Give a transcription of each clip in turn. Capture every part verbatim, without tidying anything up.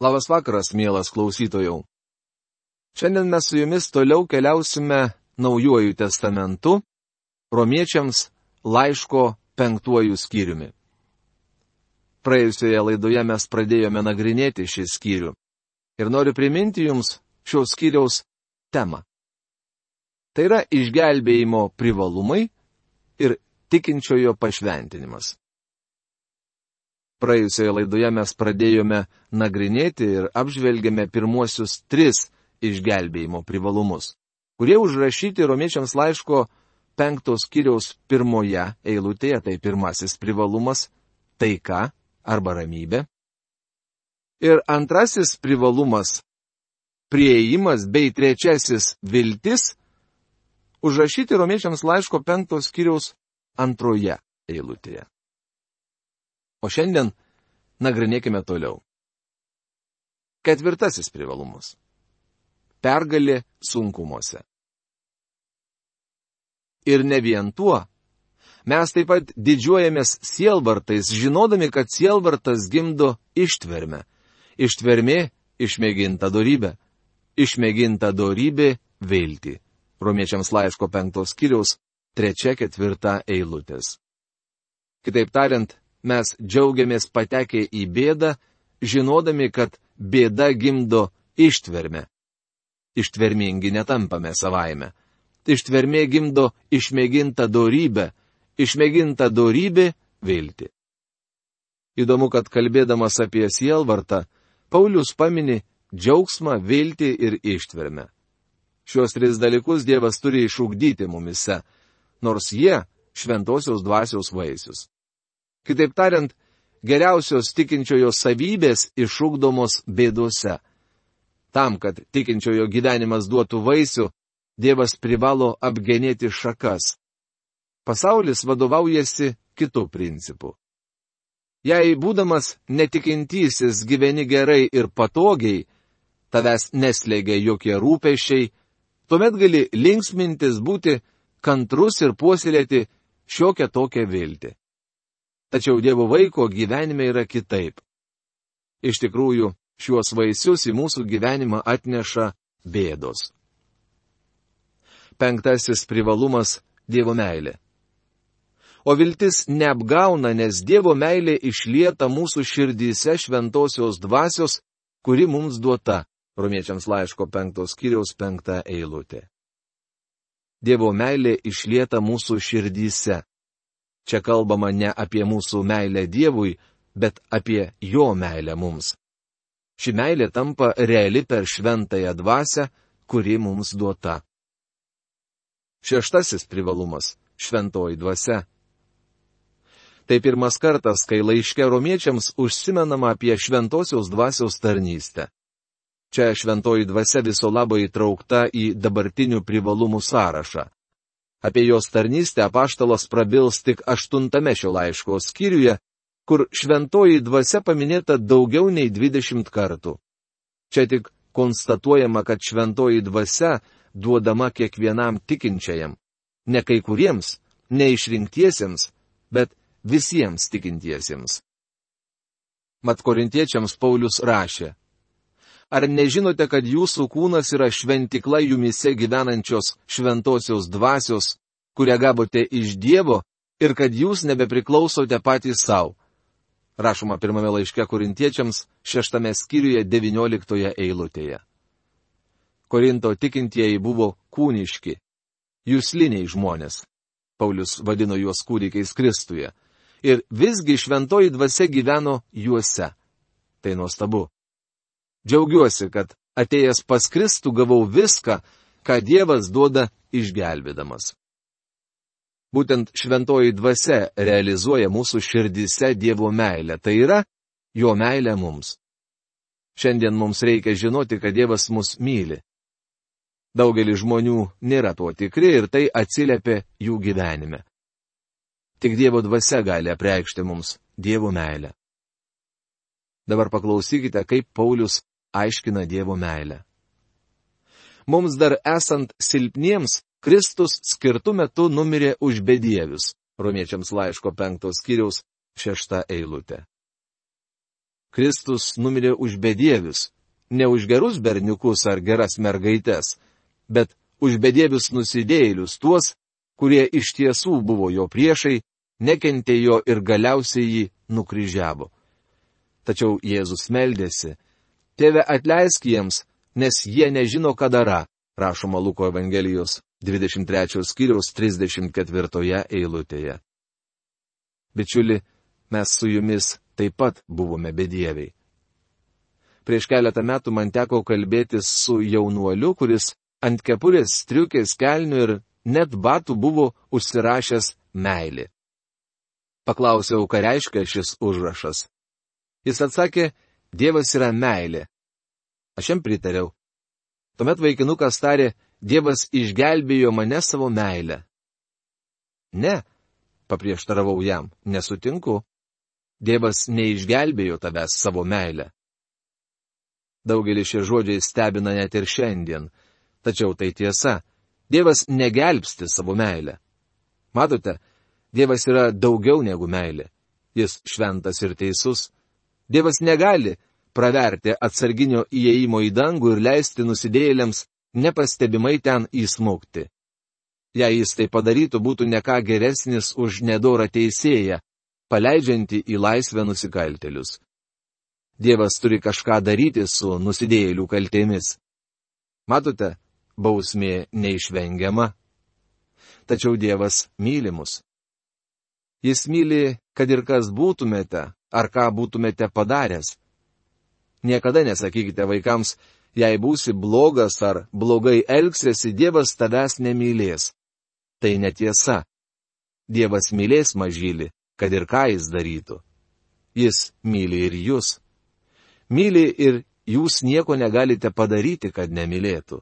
Labas vakaras, mielas klausytojau. Šiandien mes su jumis toliau keliausime Naujuoju testamentu, Romiečiams laiško penktuoju skyriumi. Praėjusioje laidoje mes pradėjome nagrinėti šį skyrių ir noriu priminti jums šio skyriaus temą. Tai yra išgelbėjimo privalumai ir tikinčiojo pašventinimas. Praėjusioje laidoje mes pradėjome nagrinėti ir apžvelgėme pirmuosius tris išgelbėjimo privalumus, kurie užrašyti Romiečiams laiško penktos skyriaus pirmoje eilutėje, tai pirmasis privalumas - taika arba ramybė. Ir antrasis privalumas - priėjimas bei trečiasis - viltis - užrašyti Romiečiams laiško penktos skyriaus antroje eilutėje. O šiandien nagrinėkime toliau. Ketvirtasis privalumas - pergalė sunkumuose. Ir ne vien tuo. Mes taip pat didžiuojamės sielvartais, žinodami, kad sielvartas gimdo ištvermę. Ištvermė - išmėginta dorybė. Išmėginta dorybė - viltį. Romiečiams laiško penktos skyriaus trečia ketvirta eilutės. Kitaip tariant, mes džiaugiamės patekę į bėdą, žinodami, kad bėda gimdo ištvermę. Ištvermingi netampame savaime. Ištvermė gimdo išmėgintą dorybę, išmėginta dorybė - viltį. Įdomu, kad kalbėdamas apie sielvartą, Paulius pamini džiaugsmą, viltį ir ištvermę. Šios tris dalykus Dievas turi išugdyti mumise, nors jie šventosios dvasios vaisius. Kitaip tariant, geriausios tikinčiojo savybės išugdomos bėdose. Tam, kad tikinčiojo gyvenimas duotų vaisių, Dievas privalo apgenėti šakas. Pasaulis vadovaujasi kitų principų. Jei būdamas netikintysis gyveni gerai ir patogiai, tavęs neslėgia jokie rūpesčiai, tuomet gali linksmintis, būti kantrus ir puoselėti šiokią tokią viltį. Tačiau Dievo vaiko gyvenime yra kitaip. Iš tikrųjų, šiuos vaisius į mūsų gyvenimą atneša bėdos. Penktasis privalumas - Dievo meilė. O viltis neapgauna, nes Dievo meilė išlieta mūsų širdyse šventosios dvasios, kuri mums duota. Romiečiams laiško penktos skyriaus penkta eilutė. Dievo meilė išlieta mūsų širdyse. Čia kalbama ne apie mūsų meilę Dievui, bet apie jo meilę mums. Ši meilė tampa reali per šventąją dvasią, kuri mums duota. Šeštasis privalumas - šventoji dvasia. Tai pirmas kartas, kai laiške Romiečiams užsimenama apie šventosios dvasios tarnystę. Čia šventoji dvasia viso labo įtraukta į dabartinių privalumų sąrašą. Apie jos tarnystę apaštalas prabils tik aštuntame šio laiško skyriuje, kur šventoji dvasia paminėta daugiau nei dvidešimt kartų. Čia tik konstatuojama, kad šventoji dvasia duodama kiekvienam tikinčiajam, ne kai kuriems, ne išrinktiesiems, bet visiems tikintiesiems. Mat korintiečiams Paulius rašė: Ar nežinote, kad jūsų kūnas yra šventikla jumise gyvenančios šventosios dvasios, kurią gavote iš Dievo, ir kad jūs nebepriklausote patys savo? Rašoma pirmame laiške korintiečiams šeštame skyriuje devynioliktoje eilutėje. Korinto tikintieji buvo kūniški, jusliniai žmonės. Paulius vadino juos kūdikiais Kristuje. Ir visgi šventoji dvasia gyveno juose. Tai nuostabu. Džiaugiuosi, kad atėjęs pas Kristų gavau viską, ką Dievas duoda išgelbėdamas. Būtent šventoji dvasia realizuoja mūsų širdyse Dievo meilę, tai yra jo meilė mums. Šiandien mums reikia žinoti, kad Dievas mus myli. Daugelis žmonių nėra tuo tikri ir tai atsiliepia jų gyvenime. Tik Dievo dvasia gali apreikšti mums Dievo meilę. Dabar paklausykite, kaip Paulius aiškina Dievo meilę. Mums dar esant silpniems, Kristus skirtu metu numirė už bedievius. Romiečiams laiško penktos skyriaus šešta eilutė. Kristus numirė už bedievius, ne už gerus berniukus ar geras mergaites, bet už bedievius nusidėjėlius, tuos, kurie iš tiesų buvo jo priešai, nekentė jo ir galiausiai jį nukryžiavo. Tačiau Jėzus meldėsi: Tėve, atleisk jiems, nes jie nežino, ką dara, rašoma Luko Evangelijos dvidešimt trečiojo skyriaus trisdešimt ketvirtoje eilutėje. Bičiuli, mes su jumis taip pat buvome bedieviai. Prieš keletą metų man teko kalbėtis su jaunuoliu, kuris ant kepurės, striukės, kelnių ir net batų buvo užsirašęs meilė. Paklausiau, ką reiškia šis užrašas. Jis atsakė: Dievas yra meilė. Aš jam pritariau. Tuomet vaikinukas tarė: Dievas išgelbėjo mane savo meilę. Ne, paprieštaravau jam, nesutinku. Dievas neišgelbėjo tavęs savo meilę. Daugelį šie žodžiai stebina net ir šiandien. Tačiau tai tiesa. Dievas negelbsti savo meilę. Matote, Dievas yra daugiau negu meilė. Jis šventas ir teisus. Dievas negali praverti atsarginio įėjimo į dangų ir leisti nusidėjėliams nepastebimai ten įsmukti. Jei jis tai padarytų, būtų ne ką geresnis už nedorą teisėją, paleidžiantį į laisvę nusikaltėlius. Dievas turi kažką daryti su nusidėjėlių kaltėmis. Matote, bausmė neišvengiama. Tačiau Dievas myli mus. Jis myli, kad ir kas būtumėte, ar ką būtumėte padaręs. Niekada nesakykite vaikams: jei būsi blogas ar blogai elgsiesi, Dievas tavęs nemylės. Tai netiesa. Dievas mylės mažylį, kad ir ką jis darytų. Jis myli ir jūs. Myli ir jūs nieko negalite padaryti, kad nemylėtų.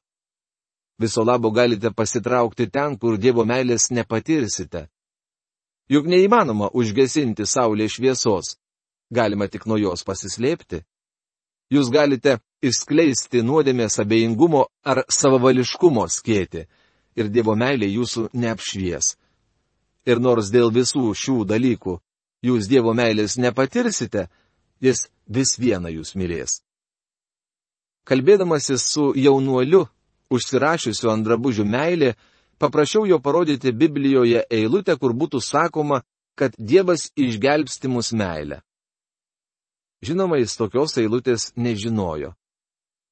Viso labo galite pasitraukti ten, kur Dievo meilės nepatirsite. Juk neįmanoma užgesinti saulės šviesos. Galima tik nuo jos pasislėpti. Jūs galite išskleisti nuodėmės abejingumo ar savavališkumo skėtį, ir Dievo meilė jūsų neapšvies. Ir nors dėl visų šių dalykų jūs Dievo meilės nepatirsite, jis vis viena jūs mylės. Kalbėdamasis su jaunuoliu, užsirašiusiu ant drabužių meilė, paprašiau jo parodyti Biblijoje eilutę, kur būtų sakoma, kad Dievas išgelbsti mus meilę. Žinoma, jis tokios eilutės nežinojo.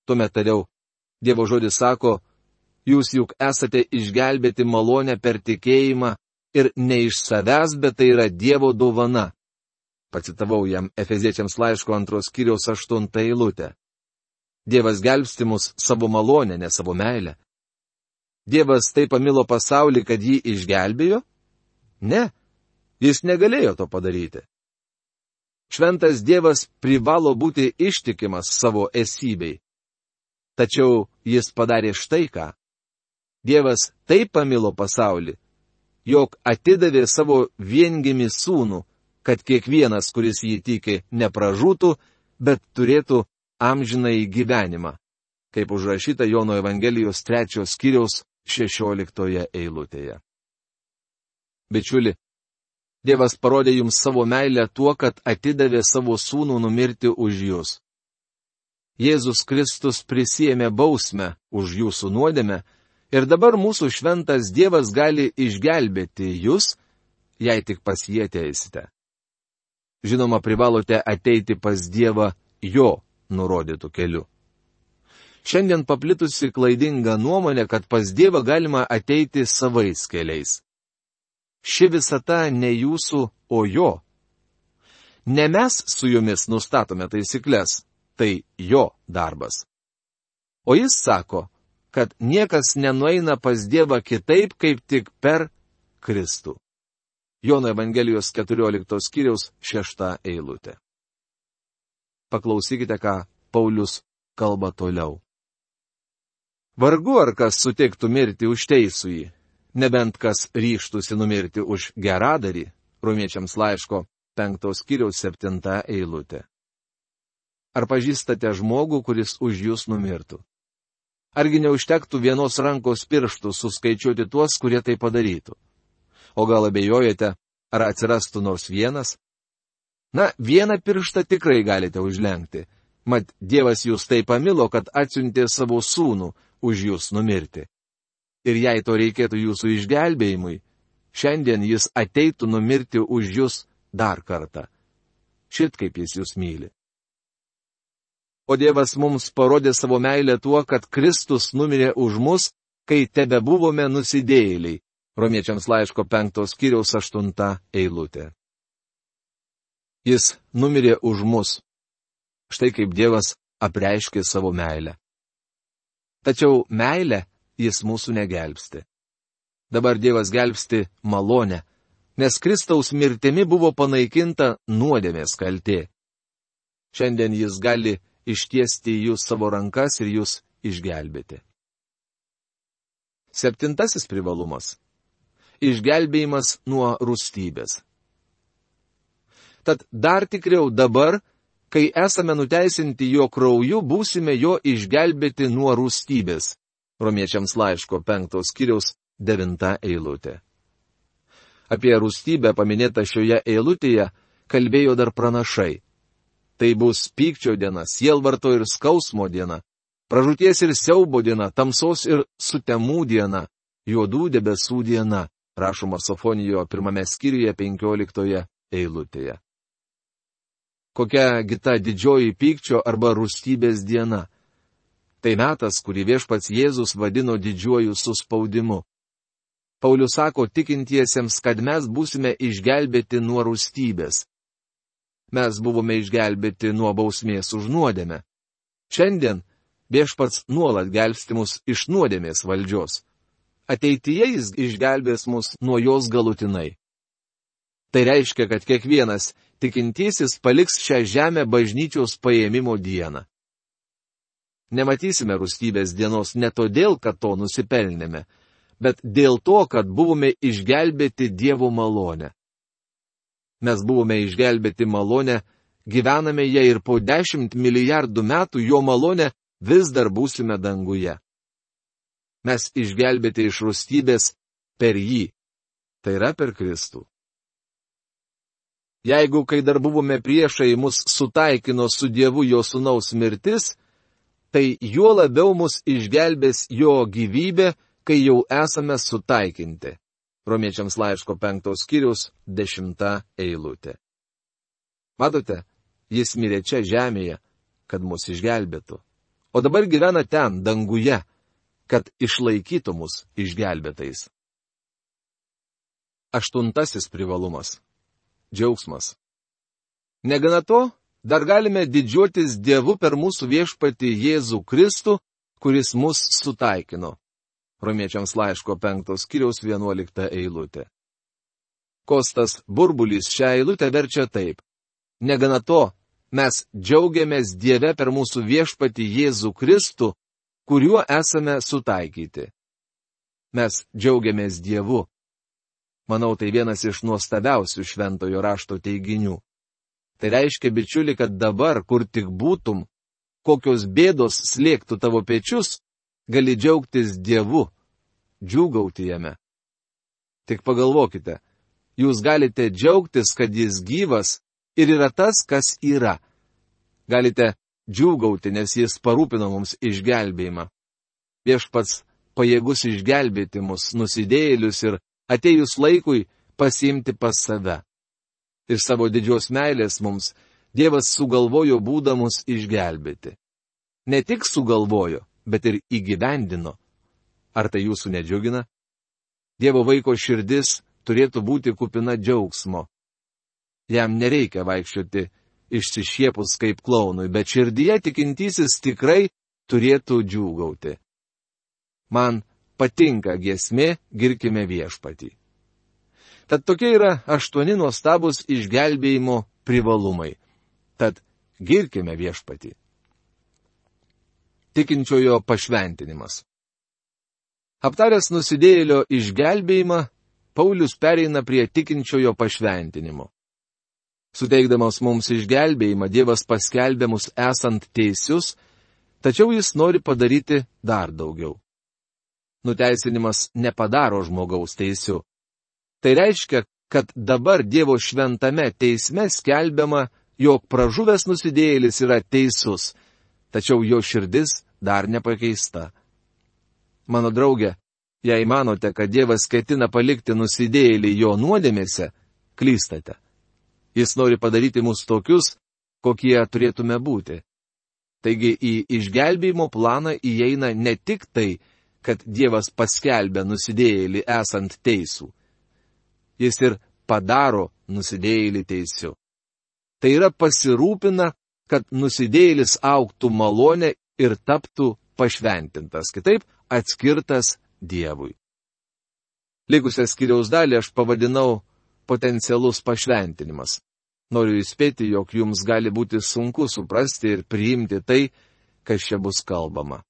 Tuomet tariau: Dievo žodis sako: jūs juk esate išgelbėti malonę per tikėjimą ir ne iš savęs, bet tai yra Dievo dovana. Pacitavau jam Efeziečiams laiško antros skyriaus aštuntą eilutę. Dievas gelbsti mus savo malonę, ne savo meilę. Dievas taip pamilo pasaulį, kad jį išgelbėjo? Ne, jis negalėjo to padaryti. Šventas Dievas privalo būti ištikimas savo esybei. Tačiau jis padarė štai ką. Dievas taip pamilo pasaulį, jog atidavė savo viengimį sūnų, kad kiekvienas, kuris jį tiki, nepražūtų, bet turėtų amžinąjį gyvenimą, kaip užrašyta Jono Evangelijos trečios skyriaus šešioliktoje eilutėje. Bičiuli, Dievas parodė jums savo meilę tuo, kad atidavė savo sūnų numirti už jūs. Jėzus Kristus prisiėmė bausmę už jūsų nuodėmę ir dabar mūsų šventas Dievas gali išgelbėti jūs, jei tik pas jį ateisite. Žinoma, privalote ateiti pas Dievą jo nurodytų keliu. Šiandien paplitusi klaidinga nuomonė, kad pas Dievą galima ateiti savais keliais. Ši visata ne jūsų, o jo. Ne mes su jumis nustatome taisyklės, tai jo darbas. O jis sako, kad niekas nenueina pas Dievą kitaip, kaip tik per Kristų. Jono Evangelijos keturioliktos skyriaus šešta eilutė. Paklausykite, ką Paulius kalba toliau. Vargu ar kas sutiktų mirti už teisųjį, nebent kas ryžtųsi numirti už geradarį, Romiečiams laiško penktos skyriaus septinta eilutė. Ar pažįstate žmogų, kuris už jūs numirtų? Argi neužtektų vienos rankos pirštų suskaičiuoti tuos, kurie tai padarytų? O gal abejojate, ar atsirastų nors vienas? Na, vieną pirštą tikrai galite užlenkti. Mat, Dievas jūs taip pamilo, kad atsiuntė savo sūnų už jūs numirti. Ir jei to reikėtų jūsų išgelbėjimui, šiandien jis ateitų numirti už jūs dar kartą. Šit kaip jis jūs myli. O Dievas mums parodė savo meilę tuo, kad Kristus numirė už mus, kai tebe buvome nusidėjėliai. Romiečiams laiško penktos skyriaus aštunta eilutė. Jis numirė už mus. Štai kaip Dievas apreiškė savo meilę. Tačiau meilę jis mūsų negelbsti. Dabar Dievas gelbsti malonę, nes Kristaus mirtimi buvo panaikinta nuodėmės kaltė. Šiandien jis gali ištiesti į jūs savo rankas ir jūs išgelbėti. Septintasis privalumas. Išgelbėjimas nuo rūstybės. Tad dar tikriau dabar, kai esame nuteisinti jo krauju, būsime jo išgelbėti nuo rūstybės. Romiečiams laiško penktos skyriaus devinta eilutė. Apie rūstybę paminėtą šioje eilutėje kalbėjo dar pranašai. Tai bus pykčio diena, sielvarto ir skausmo diena, pražūties ir siaubo diena, tamsos ir sutemų diena, juodų debesų diena, rašoma Sofonijo pirmame skyriuje penkioliktoje eilutėje. Kokia kita didžioji pykčio arba rūstybės diena? Tai metas, kurį viešpats Jėzus vadino didžiuoju suspaudimu. Paulius sako tikintiesiems, kad mes būsime išgelbėti nuo rūstybės. Mes buvome išgelbėti nuo bausmės už nuodėmę. Šiandien viešpats nuolat gelbsti mus iš nuodėmės valdžios. Ateityje jis išgelbės mus nuo jos galutinai. Tai reiškia, kad kiekvienas tikintysis paliks šią žemę bažnyčios paėmimo dieną. Nematysime rūstybės dienos ne todėl, kad to nusipelnėme, bet dėl to, kad buvome išgelbėti Dievo malonę. Mes buvome išgelbėti malonę, gyvename ją ir po dešimt milijardų metų jo malonę vis dar būsime danguje. Mes išgelbėti iš rūstybės per jį, tai yra per Kristų. Jeigu, kai dar buvome priešai, mus sutaikino su Dievu jo sūnaus mirtis, tai juo labiau mus išgelbės jo gyvybė, kai jau esame sutaikinti. Romiečiams laiško penktos skyriaus dešimta eilutė. Matote, jis mirė čia žemėje, kad mus išgelbėtų. O dabar gyvena ten, danguje, kad išlaikytų mus išgelbėtais. Aštuntasis privalumas. Džiaugsmas. Negana to, dar galime didžiuotis Dievu per mūsų viešpatį Jėzų Kristų, kuris mus sutaikino. Romiečiams laiško penktos skyriaus vienuolikta eilutė. Kostas Burbulis šią eilutę verčia taip. Negana to, mes džiaugiamės Dieve per mūsų viešpatį Jėzų Kristų, kuriuo esame sutaikyti. Mes džiaugiamės Dievu. Manau, tai vienas iš nuostabiausių šventojo rašto teiginių. Tai reiškia, bičiuli, kad dabar, kur tik būtum, kokios bėdos slėgtų tavo pečius, gali džiaugtis Dievu, džiūgauti jame. Tik pagalvokite, jūs galite džiaugtis, kad jis gyvas ir yra tas, kas yra. Galite džiūgauti, nes jis parūpino mums išgelbėjimą. Viešpats pajėgus išgelbėti mus, nusidėjėlius ir atėjus laikui pasiimti pas save. Ir savo didžios meilės mums Dievas sugalvojo būdą mus išgelbėti. Ne tik sugalvojo, bet ir įgyvendino. Ar tai jūsų nedžiugina? Dievo vaiko širdis turėtų būti kupina džiaugsmo. Jam nereikia vaikščioti išsišiepus kaip klaunui, bet širdyje tikintysis tikrai turėtų džiūgauti. Man patinka giesmė, girkime viešpatį. Tad tokie yra aštuoni nuostabus išgelbėjimo privalumai. Tad girkime viešpatį. Tikinčiojo pašventinimas. Aptaręs nusidėjėlio išgelbėjimą, Paulius pereina prie tikinčiojo pašventinimo. Suteikdamas mums išgelbėjimą, Dievas paskelbė mus esant teisius, tačiau jis nori padaryti dar daugiau. Nuteisinimas nepadaro žmogaus teisiu. Tai reiškia, kad dabar Dievo šventame teisme skelbiama, jog pražuvęs nusidėjėlis yra teisus, tačiau jo širdis dar nepakeista. Mano draugė, jei manote, kad Dievas ketina palikti nusidėjėlį jo nuodėmėse, klystate. Jis nori padaryti mus tokius, kokie turėtume būti. Taigi į išgelbėjimo planą įeina ne tik tai, kad Dievas paskelbia nusidėjėlį esant teisų. Jis ir padaro nusidėjėlį teisiu. Tai yra pasirūpina, kad nusidėjėlis augtų malonę ir taptų pašventintas, kitaip atskirtas Dievui. Likusią skyriaus dalį aš pavadinau potencialus pašventinimas. Noriu įspėti, jog jums gali būti sunku suprasti ir priimti tai, kas čia bus kalbama.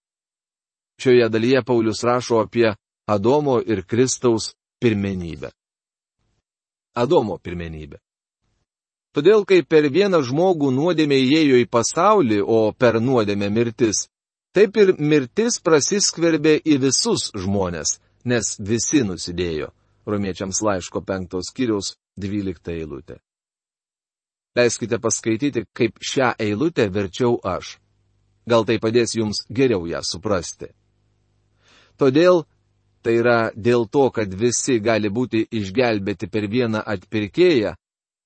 Šioje dalyje Paulius rašo apie Adomo ir Kristaus pirmenybę. Adomo pirmenybė. Todėl, kai per vieną žmogų nuodėmė įėjo į pasaulį, o per nuodėmę mirtis, taip ir mirtis prasiskverbė į visus žmones, nes visi nusidėjo. Romiečiams laiško penktos skyriaus dvylikta eilutė. Leiskite paskaityti, kaip šią eilutę verčiau aš. Gal tai padės jums geriau ją suprasti. Todėl, tai yra dėl to, kad visi gali būti išgelbėti per vieną atpirkėją,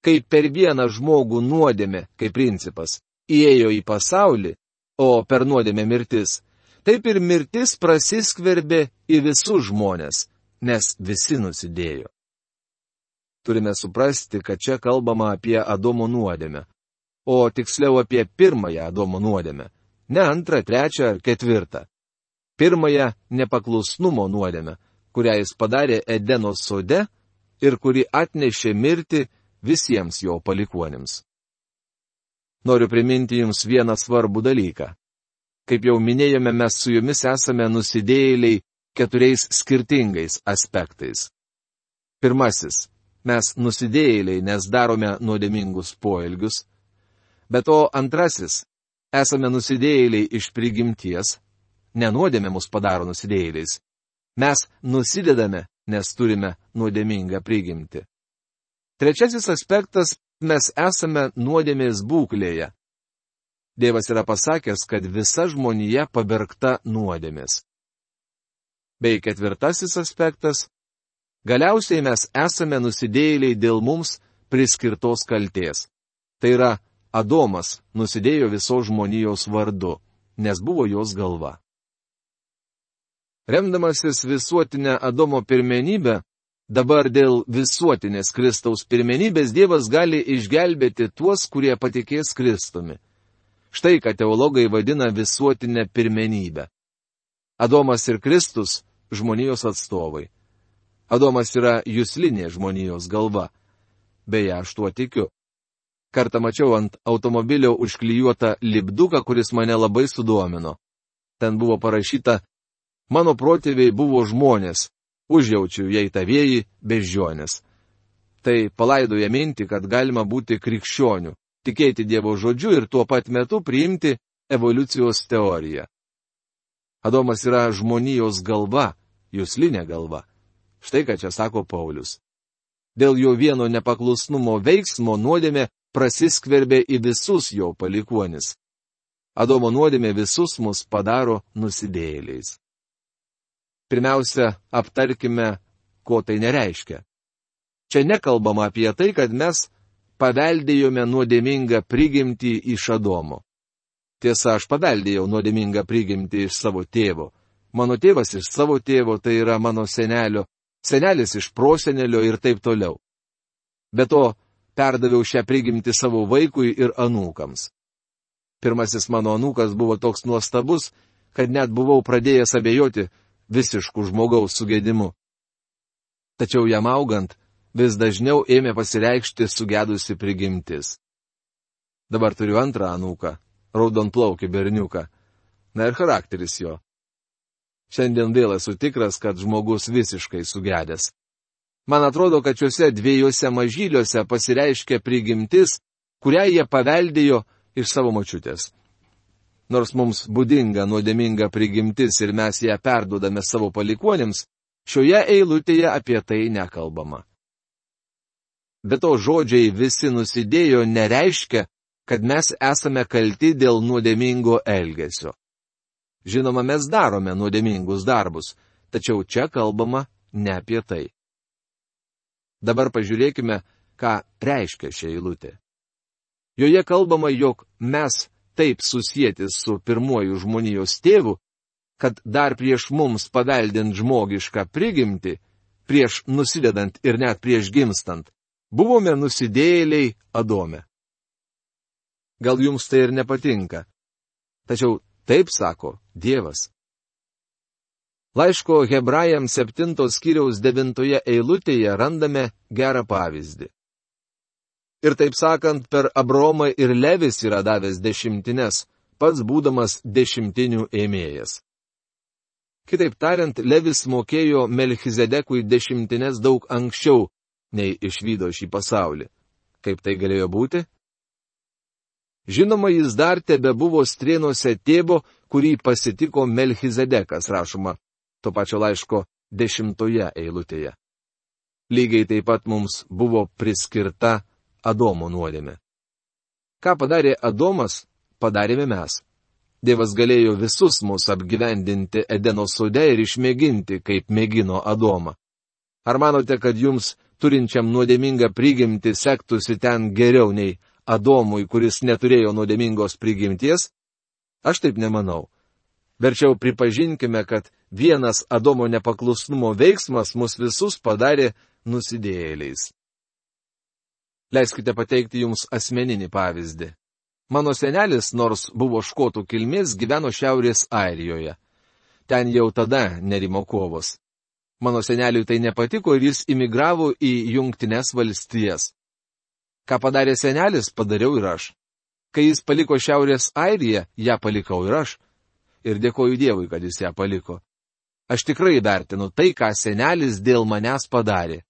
kai per vieną žmogų nuodėmė, kaip principas, įėjo į pasaulį, o per nuodėmę mirtis, taip ir mirtis prasiskverbė į visus žmones, nes visi nusidėjo. Turime suprasti, kad čia kalbama apie Adomo nuodėmę, o tiksliau apie pirmąją Adomo nuodėmę, ne antrą, trečią ar ketvirtą. Pirmąją nepaklusnumo nuodėmę, kurią jis padarė Edeno sode ir kuri atnešė mirtį visiems jo palikuonims. Noriu priminti jums vieną svarbų dalyką. Kaip jau minėjome, mes su jumis esame nusidėjėliai keturiais skirtingais aspektais. Pirmasis. Mes nusidėjėliai, nes darome nuodėmingus poelgius. Be to antrasis. Esame nusidėjėliai iš prigimties. Ne nuodėmė mus padaro nusidėjėliais. Mes nusidedame, nes turime nuodėmingą prigimtį. Trečiasis aspektas. Mes esame nuodėmės būklėje. Dievas yra pasakęs, kad visa žmonija pabergta nuodėmės. Bei ketvirtasis aspektas. Galiausiai mes esame nusidėjėliai dėl mums priskirtos kaltės. Tai yra, Adomas nusidėjo visos žmonijos vardu, nes buvo jos galva. Remdamasis visuotinę Adomo pirmenybę, dabar dėl visuotinės Kristaus pirmenybės Dievas gali išgelbėti tuos, kurie patikės Kristumi. Štai ką teologai vadina visuotinę pirmenybę. Adomas ir Kristus – žmonijos atstovai. Adomas yra juslinė žmonijos galva. Beje, aš tuo tikiu. Kartą mačiau ant automobilio užklijuotą lipduką, kuris mane labai sudomino. Ten buvo parašyta, mano protėviai buvo žmonės, užjaučiu jei tavieji beždžionės. Tai palaidoja mintį, kad galima būti krikščioniu, tikėti Dievo žodžiu ir tuo pat metu priimti evoliucijos teoriją. Adomas yra žmonijos galva, juslinė galva. Štai ką čia sako Paulius. Dėl jo vieno nepaklusnumo veiksmo nuodėmė prasiskverbė į visus jo palikuonis. Adomo nuodėmė visus mus padaro nusidėjėliais. Pirmiausia, aptarkime, ko tai nereiškia. Čia nekalbama apie tai, kad mes paveldėjome nuodėmingą prigimtį iš Adomo. Tiesa, aš paveldėjau nuodėmingą prigimtį iš savo tėvo. Mano tėvas iš savo tėvo, tai yra mano senelio, senelis iš prosenelio ir taip toliau. Be to, perdaviau šią prigimtį savo vaikui ir anūkams. Pirmasis mano anūkas buvo toks nuostabus, kad net buvau pradėjęs abejoti visiškų žmogaus sugedimu. Tačiau jam augant, vis dažniau ėmė pasireikšti sugedusi prigimtis. Dabar turiu antrą anūką, raudonplaukį berniuką. Na ir charakteris jo. Šiandien vėl esu tikras, kad žmogus visiškai sugedęs. Man atrodo, kad šiuose dviejose mažyliuose pasireiškia prigimtis, kurią jie paveldėjo iš savo močiutės. Nors mums būdinga nuodėminga prigimtis ir mes ją perduodame savo palikuonėms, šioje eilutėje apie tai nekalbama. Be to žodžiai visi nusidėjo nereiškia, kad mes esame kalti dėl nuodėmingo elgesio. Žinoma, mes darome nuodėmingus darbus, tačiau čia kalbama ne apie tai. Dabar pažiūrėkime, ką reiškia šia eilutė. Joje kalbama, jog mes taip susieti su pirmuoju žmonijos tėvu, kad dar prieš mums paveldint žmogišką prigimtį, prieš nusidedant ir net prieš gimstant, buvome nusidėjėliai Adome. Gal jums tai ir nepatinka, tačiau taip sako Dievas. Laiško Hebrajams septintos skyriaus devintoje eilutėje randame gerą pavyzdį. Ir taip sakant, per Abraomą ir Levis yra davęs dešimtines, pats būdamas dešimtinių ėmėjas. Kitaip tariant, Levis mokėjo Melchizedekui dešimtines daug anksčiau, nei išvydo šį pasaulį. Kaip tai galėjo būti? Žinoma, jis dar tebe buvo strėnuose tėvo, kurį pasitiko Melchizedekas, rašoma to pačio laiško dešimtoje eilutėje. Lygiai taip pat mums buvo priskirta Adomo nuodėmė. Ką padarė Adomas, padarėme mes. Dievas galėjo visus mus apgyvendinti Edeno sode ir išmėginti, kaip mėgino Adomą. Ar manote, kad jums, turinčiam nuodėmingą prigimtį, sektųsi ten geriau nei Adomui, kuris neturėjo nuodėmingos prigimties? Aš taip nemanau. Verčiau pripažinkime, kad vienas Adomo nepaklusnumo veiksmas mus visus padarė nusidėjėliais. Leiskite pateikti jums asmeninį pavyzdį. Mano senelis, nors buvo škotų kilmės, gyveno Šiaurės Airijoje. Ten jau tada nerimo kovos. Mano seneliui tai nepatiko ir jis imigravo į Jungtines valstijas. Ką padarė senelis, padariau ir aš. Kai jis paliko Šiaurės Airiją, ją palikau ir aš. Ir dėkoju Dievui, kad jis ją paliko. Aš tikrai vertinu tai, ką senelis dėl manęs padarė.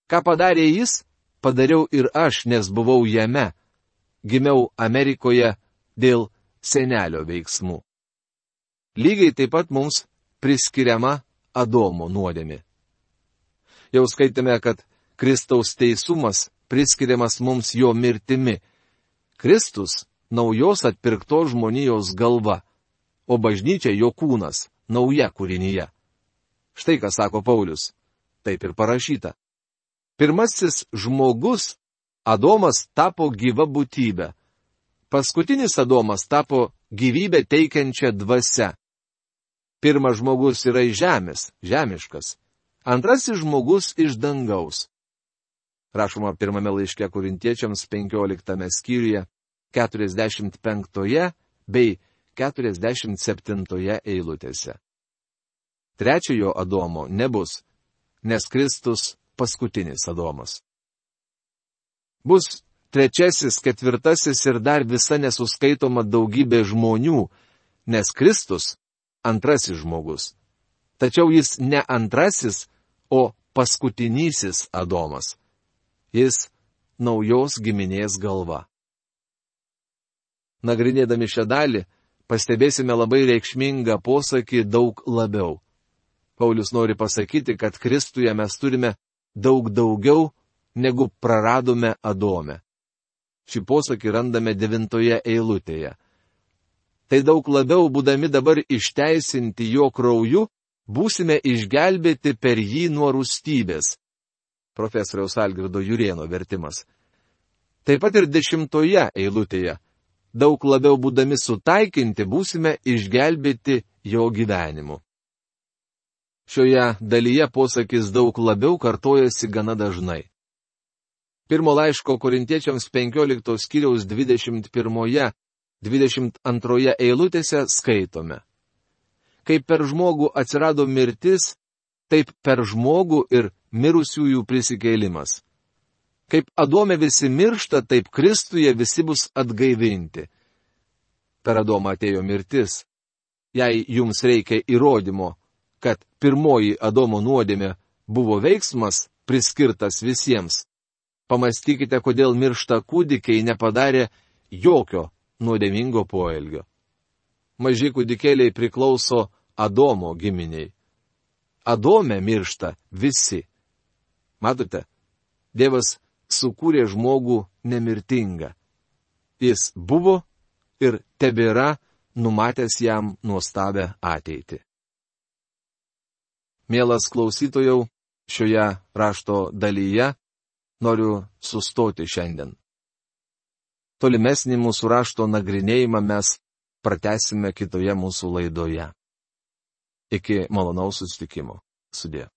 Ką padarė jis, padariau ir aš, nes buvau jame. Gimiau Amerikoje dėl senelio veiksmų. Lygiai taip pat mums priskiriama Adomo nuodėmė. Jau skaitėme, kad Kristaus teisumas priskiriamas mums jo mirtimi. Kristus naujos atpirktos žmonijos galva, o bažnyčia jo kūnas, nauja kūrinyje. Štai ką sako Paulius. Taip ir parašyta. Pirmasis žmogus, Adomas, tapo gyva būtybė. Paskutinis Adomas tapo gyvybę teikiančią dvasią. Pirmas žmogus yra iš žemės, žemiškas. Antrasis žmogus iš dangaus. Rašoma pirmame laiške Korintiečiams penkioliktame skyriuje, keturiasdešimt penktoje bei keturiasdešimt septintoje eilutėse. Trečiojo Adomo nebus, nes Kristus paskutinis Adomas. Bus trečiasis, ketvirtasis ir dar visa nesuskaitoma daugybė žmonių, nes Kristus antrasis žmogus. Tačiau jis ne antrasis, o paskutinysis Adomas. Jis naujos giminės galva. Nagrinėdami šią dalį, pastebėsime labai reikšmingą posakį daug labiau. Paulius nori pasakyti, kad Kristuje mes turime daug daugiau, negu praradome Adome. Šį posakį randame devintoje eilutėje. Tai daug labiau, būdami dabar išteisinti jo krauju, būsime išgelbėti per jį nuo rūstybės. Profesoriaus Algirdo Jurėno vertimas. Taip pat ir dešimtoje eilutėje. Daug labiau būdami sutaikinti, būsime išgelbėti jo gyvenimu. Šioje dalyje posakis daug labiau kartojasi gana dažnai. Pirmo laiško Korintiečiams penkioliktos skyriaus dvidešimt pirmoje, dvidešimt antroje eilutėse skaitome. Kaip per žmogų atsirado mirtis, taip per žmogų ir mirusiųjų prisikėlimas. Kaip Adome visi miršta, taip Kristuje visi bus atgaivinti. Per Adomą atėjo mirtis. Jei jums reikia įrodymo, kad pirmoji Adomo nuodėmė buvo veiksmas priskirtas visiems, pamastykite, kodėl miršta kūdikiai nepadarė jokio nuodėmingo poelgio. Maži kūdikėliai priklauso Adomo giminiai. Adome miršta visi. Matote, Dievas sukūrė žmogų nemirtingą. Jis buvo ir tebėra numatęs jam nuostabę ateitį. Mielas klausytojau, šioje rašto dalyje noriu sustoti šiandien. Tolimesnį mūsų rašto nagrinėjimą mes pratęsime kitoje mūsų laidoje. Iki malonaus susitikimo. Sudie.